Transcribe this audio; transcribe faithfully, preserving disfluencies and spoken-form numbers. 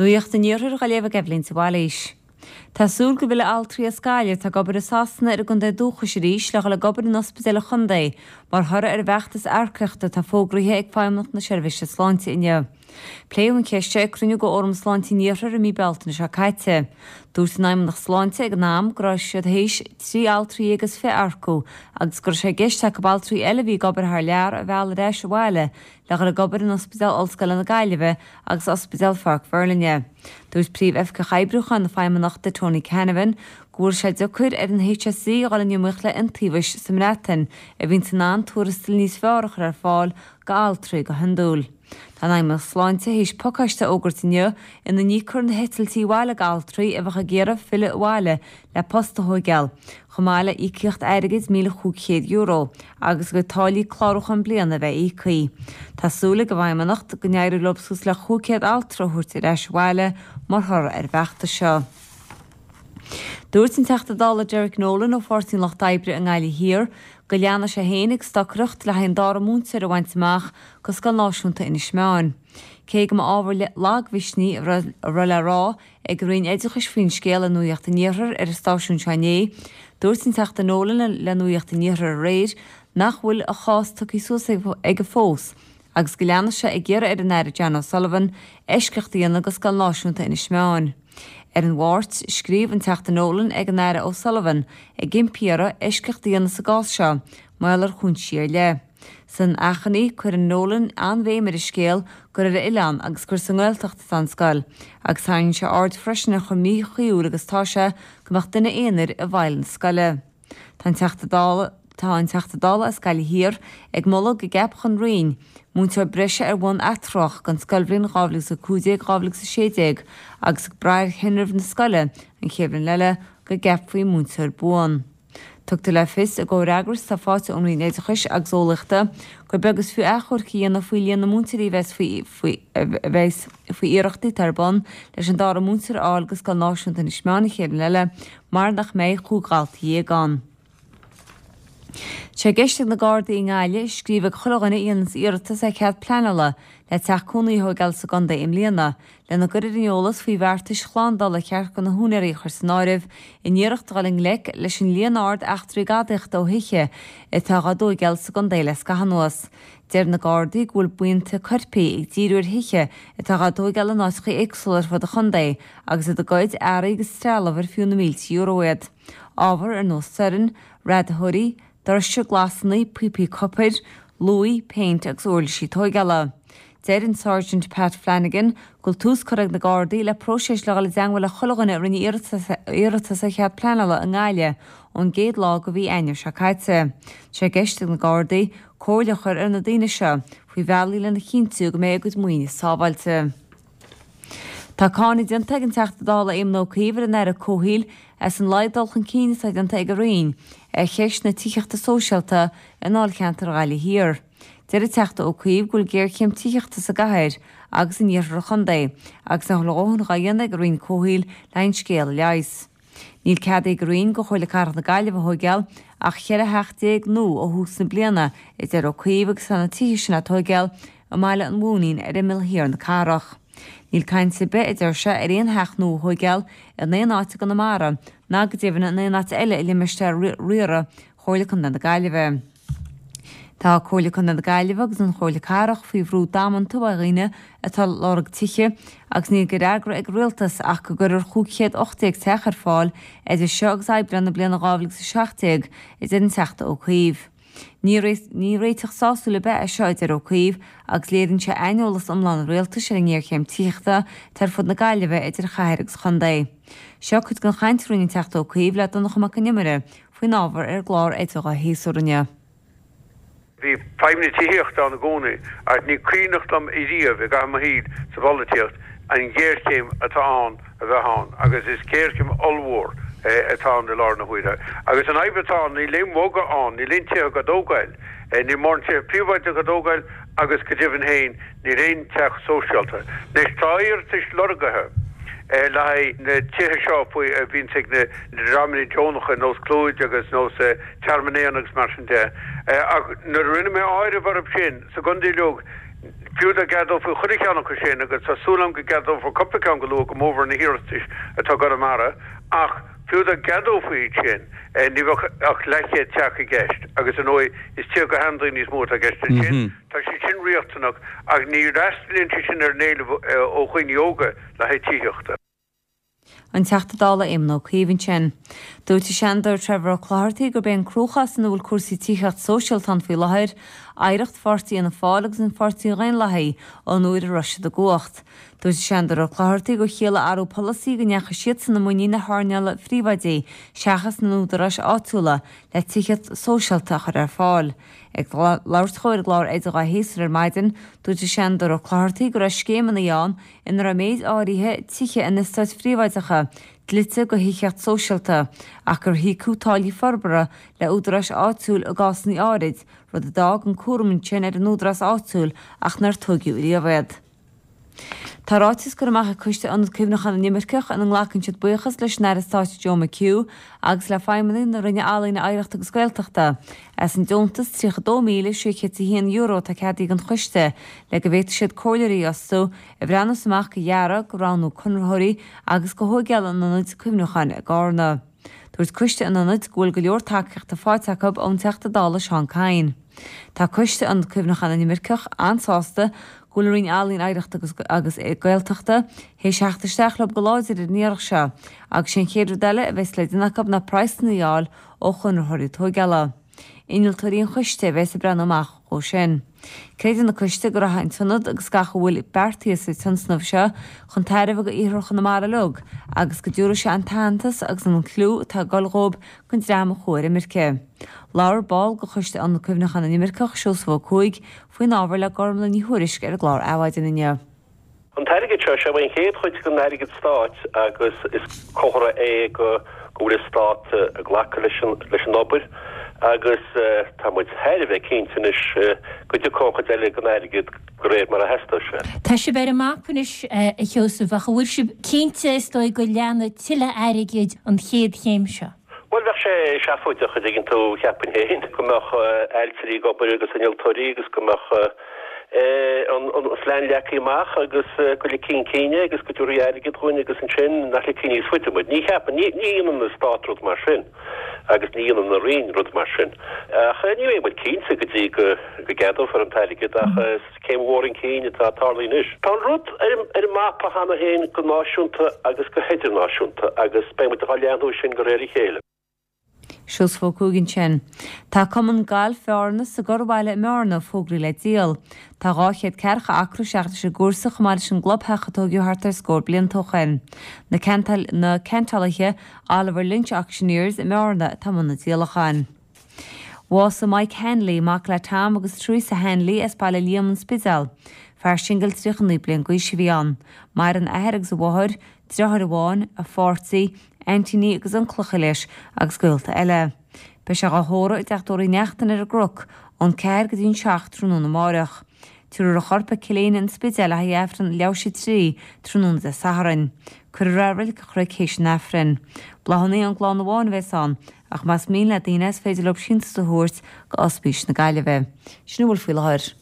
Nuacht an Iarthair á léamh ag Eibhlín de Bhailís. Tá súil go bhfillfidh altraí as Gaillimh atá ag obair i Sasana ar a gcontae dúchais arís le dhul ag obair in ospidéil an chontae mar thoradh ar an bhfeachtas earcaíochta atá fógraithe ag Feidhmeannacht na Seirbhíse Sláinte inniu. Pléadh an cheist seo ag cruinniú de Fhóram Sláinte an Iarthair i mí Bealtaine seo caite. Dúirt an Fheidhmeannacht Sláinte ag an am go raibh siad théis trí altraí déag agus fiche a earcú agus go raibh sé i gceist acu altraí eile a bhí ag obair thar lear a mhealladh ar ais abhaile le dhul ag obair in Ospidéal Ollscoile na Gaillimhe agus Ospidéal Pháirc Mhuirlinne. Dúirt Príomh-Oifigeach Oibriúcháin na Feidhmeannachta Tony Canavan go bhfuil sé deacair ar an HSE a dhul in iomaíocht le iontaobhais sa mBreatain a bhíonn in ann tuarastal níos fearr a chur ar fáil go altraí go hiondúil. Tá an Fheidhmeannacht Sláinte théis pacáiste a fhógairt inniu ina n-íocfar na heitiltí abhaile go altraí a bheadh ag iarraidh filleadh abhaile le post a thógáil, chomh maith le íocaíocht airgid míle cúig chéad euro agus go táillí clárúcháin bliana a bheith íoctha. Tá súil ag an bhFeidhmeannacht go n-éireoidh leo suas le cúig chéad altra a thabhairt ar ais abhaile mar thoradh ar an bhfeachtas seo. Dúirt an Teachta Dála Derek Nolan ó Pháirtí an Lucht Oibre i nGaillimh Thiar go leanfaidh sé féin ag stocaireacht le haghaidh an dara múinteoir a bhaint amach go Scoil Náisiúnta Inis Meáin. Cé go mba ábhar lagmhisnigh a raibh le rá ag an Roinn Oideachais faoin scéal le Nuacht an Iarthair ar an stáisiún seo inné, dúirt an Teachta Nolan le Nuacht an Iarthair aréir nach bhfuil a chás tugtha suas aige fós agus go leanfaidh sé ag iarraidh ar an Aire John O'Sullivan eisceacht a dhéanamh go Scoil Náisiúnta Inis Meáin. Ar an Mháirt, scríobh an Teachta Nolan ag an Aire O'Sullivan ag impí air eisceacht a dhéanamh sa gcás seo, mar gheall ar chúinsí ar leith. San achainí cuireann Nolan an-bhéim ar an scéal gur ar oileán agus gur sa nGaeltacht atá an scoil, agus tarraingíonn sé aird freisin ar chomh míchuibhiúil agus atá sé go mbeadh duine aonair i bhfeighil na scoile. Tá an Teachta Dála Tá an Teachta Dála as Gaillimh Thiar ag moladh go gceapfadh an Roinn múinteoir breise ar bhonn atreorach don scoilbhliain dhá mhíle a cúig déag dhá mhíle a sé déag agus ag brath ar thinreamh na scoile an chéad bhliain eile go gceapfaí múinteoir buan. Tugtar le fios i gcomhfhreagras atá faighte ón Roinn Oideachais agus Eolaíochta gur beag is fiú achomharc a dhéanamh faoi líon na múinteoirí a bheas faoi faoi a bheas faoi iarrachtaí atá ar bun leis an dara múinteoir a fháil go Scoil Náisiúnta Inis Meáin an chéad bhliain eile mar nach mbeidh cúig dhalta dhéag ann. Tá sé i gceist ag na Gardaí i nGaillimh scríobh ag chuile dhuine a dhéananns iarratas ar chead pleanála le teach cónaí a thógáil sa gcontae i mbliana, lena gcur ar an eolas faoi bheartais shlándála ar cheart do na húinéirí a chur san áireamh in iarracht a dhul i ngleic leis an líon ard eachtraí gadaíochta ó thithe atá á dtógáil sa gcontae le scaitheamh anuas. Deir na Gardaí go bhfuil buíonta coirpigh ag díriú ar thithe atá á dtógáil in áiteacha éagsúla ar fud an chontae agus iad ag goid earraí agus trealamh ar fiú na mílte euro iad. Ábhar ar nós soirn, radaitheoirí, doirse, glasanna, píopaí copair, luaí, péint agus uirlisí tógála. Deir an Sergeant Pat Flanagan go bhfuil tús curtha ag na Gardaí le próiseas le dhul i dteagmháil le chuile dhuine a rinne iarratas ar chead pleanála i nGaillimh ón gcéad lá de mhí Eanáir seo caite. Tá sé i gceist ag na Gardaí comhairle a chur ar na daoine seo faoi bhealaí lena chinntiú go mbeidh a gcuid maoine sábháilte. Tá cáineadh déanta ag an Teachta Dála Éamon Ó Cuív ar an Aire Comhshaoil as an laghad dul chun cinn atá déanta ag a Roinn ar cheist na tithíochta sóisialta i ndáilcheantar Ghaillimh Thiar. Deir an Teachta Ó Cuív go bhfuil géarchéim tithíochta sa gcathair agus in iarthar an chontae agus nach bhfuil a dhóthain dhá dhéanamh ag an Roinn Comhshaoil le haghaidh an scéal a leigheas. Níl ceadaithe ag an Roinn do Chomhairle Cathrach na Gaillimhe a thóigeáil ach cheithre theach déag nua ó thús na bliana, a deir Ó Cuív agus tá na tithe sin á dtóigeáil i mBaile an Mhóinín ar imeall thiar na cathrach. Níl caint ar bith, a deir sé, ar aon theach nua a thóigeáil in aon áit i gConamara ná go deimhin in aon áit eile i limistéar riartha Chomhairle Contae na Gaillimhe. Tá Comhairle Contae na Gaillimhe agus an Chomhairle Cathrach faoi bhrú damanta ó dhaoine atá ag lorg tithe agus níl de fhreagra ag an rialtas ach go gcuirfear cúig chéad ocht déag teach ar fáil idir seo agus Aibreán na bliana dhá mhíle agus a seacht déag, a deir an Teachta Ó Cuív. Ní réiteach sásúil ar bith é seo, a deir Ó Cuív, agus léiríonn sé aineolas iomlán an rialtais ar an ngéarchéim tithíochta atá ar fud na Gaillimhe idir chathair agus chontae. Seo cuid den chaint a rinne an Teachta Ó Cuív le Donncha Mac Con Iomaire faoin ábhar ar an gclár Oidhre Dhá Shéasúr inniu. Bhí fadhb na tithíochta ann i gcónaí ach ní cuimhneach liom ariamh i gcaitheamh mo shaoil sa bpolaitíocht an ghéarchéim atá ann a bheith ann agus is géarchéim ollmhór atá ann i láthair na huaire. Agus an fhadhb atá ann, níl aon bhogadh ann, níl aon tithe á dtógáil, níl mórán tithe príobháideacha á dtógáil agus go deimhin féin níl aon teach sóisialta. Anois tá iarratais lorgaithe le haghaidh na tithe seo faoi a bhíonns ag na dreamanna deonacha nós Clúid agus nós Tearmann Éanna agus mar sin de. Ach nuair a rinne mé áireamh orthu sin sa gcontae uilig, Fiú dá gceadófaí chuile cheann acu sin, agus tá súil agam go gceadófar cúpla ceann go luath, go mórmhór na hiarratais atá i gConamara, ach fiú dá gceadófaí iad sin, ní bheadh ach leathchéad teach i gceist, agus ar ndóigh is tithe do sheandaoine is mó atá i gceist ansin. Tá siad sin riachtanach, ach ní fhreastalaíonn siad sin ar an éileamh ó dhaoine óga le haghaidh tithíochta. An Teachta Dála Éamon Ó Cuív ansin. Dúirt an Seanadóir Trevor Ó Clochartaigh gurb é an cruachás ina bhfuil cúrsaí tithíocht sóisialta ann faoi láthair, oidhreacht pháirtí Fhianna Fáil agus an Pháirtí Dhaonlathaigh ón uair a raibh siad i gcumhacht. Dúirt an Seanadóir Ó Clochartaigh gur chiallaigh athrú polasaí go ndeachaigh siadsan i muinín na hearnála phríobháidí seachas na n-údaráis áitiúla le tithíocht sóisialta a chur ar fáil. Ag labhairt dhó ar an gclár Oidhe Dhá Shéasúr ar maidin, dúirt an Seanadóir Ó Clochartaigh go raibh scéimeanna ann ina raibh méid áirithe tithe in eastáit phríobháideacha dlite go thithíocht sóisialta ach gur híocadh táillí forbartha le údaráis áitiúil i gcásanna áirid, rud a d'fhág an cúram ansin ar an údarás áitiúil ach nár tóigeadh riamh iad. Tá ráiteas curtha amach ag Coiste Ionad Cuimhneacháin na nImirceach ina nglacann siad buíochas leis an Aire Stáit Joe McHugh agus le feidhmeannaigh na Roinne Ealaíne, Oidhreachta agus Gaeltachta as an deontas tríocha dó míle sé chéad is a haon euro atá ceadaithe don choiste le go bhféadfaidh siad comhairleoirí a fhostú a bhreathnós amach go dhearadh, go roghnú conraitheoirí agus go thóigeáil an ionaid cuimhneacháin i gCarna. Dúirt Coiste an Ionaid go bhfuil go leor tacaíochta faighte acu ón Teachta Dála Seán Kyne. Tá Coiste Ionad Cuimhneacháin na nImirceach an-sásta go bhfuil an Roinn Ealaíon, Oidhreachta agus Gaeltachta théis theacht isteach leo go láidir ar an iarracht seo agus sé an chéad rud eile a bheas le déanamh acu ná praghsanna a fháil ó chonraitheoirí tóigeála. Innealtóirí an choiste a bheas ag breathnú amach dhó sin. Creideann an coiste go rachaidh an t-ionad agus gach a bhfuil beartaithe sa tionscnamh seo chun tairbhe go iarthar Chonamara uilig agus go dtabharfaidh sé an t-aitheantas agus an clú atá ag dul dhóibh don dream a chuaigh ar imirce. Labhair ball de Choiste Ionad Cuimhneacháin na nImirceach, Seosamh Ó Cuaig, faoin ábhar le Gormlaith Ní Thuairisg ar an gclár Adhmhaidin inniu. An t-airgead seo, sé an chéad chuid den airgead stáit agus is comhartha é go go bhfuil an stát ag glacadh leis an leis an obair agus tá muid thar a bheith cinnte anois go dtiocfaidh an chuid eile den airgead de réir mar a theastóidh sé. Tá sibh ar an mapa anois, a Sheosaimh, ach an bhfuil sibh cinnte is dóigh go leanfaidh tuilleadh airgid an chéad chéim seo? Bhuel, bheadh sé seafóideach, a dtuigeann tú, cheapfainn féin, go mbeadh ailtirí ag obair agus innealtóirí agus go mbeadh an phlean leagtha amach agus go ligfí chun cinn é agus go dtabharfaí airgead dhúinn agus ansin nach ligfí níos faide muid. Ní cheapaim, ní dhéanann an Stát rud mar sin agus ní dhéanann an Roinn rud mar sin. Ach ní bheidh muid cinnte go dtí go gceadófar an t-airgead ach is céim mhór chun cinn atá ag tarlú anois. Tá an rud ar an mapa cheana féin go náisiúnta agus go hidirnáisiúnta agus beidh muid á leathnú sin de réir a chéile. Seosamh Ó Cuaig ansin. Tá Cumann Gailf Bhearna sa gCorrbhaile i mBearna fógraithe le díol. Tá dhá chéad ceathracha acra seacht leis an gcúrsa chomh maith leis an gclubtheach a tóigeadh thart ar scór blianta ó shin. Na na ceantálaithe Oliver Lynch Auctioneers i mBearna atá i mbun na díolacháin. Bhásaigh Mike Hanley, mac le Tom agus Teresa Hanley as Baile Liam, An Spidéal. Fear singil tríocha naoi bliain d'aois a bhí ann. Maireann a athair agus a mháthair, deartháir amháin, a pháirtí, aintíní agus unclacha leis agus gaolta eile. Beidh sé dhá thórramh i dteach tórraimh Uí Neachtain ar an gCnoc ón ceathair go dtí an seacht tráthnóna amáireach. Tabharfar a chorp ag Cill Éinne An Spidéal le haghaidh Aifreann leathuair théis a trí tráthnóna Dé Sathairn. Cuirfear i Reilig an Chnoic théis an Aifrinn. Bláthanna ón gclann amháin a bheas ann, ach más mian le daoine is féidir leo síntiús a thabhairt go Ospís na Gaillimhe. Sin a bhfuil faoi láthair.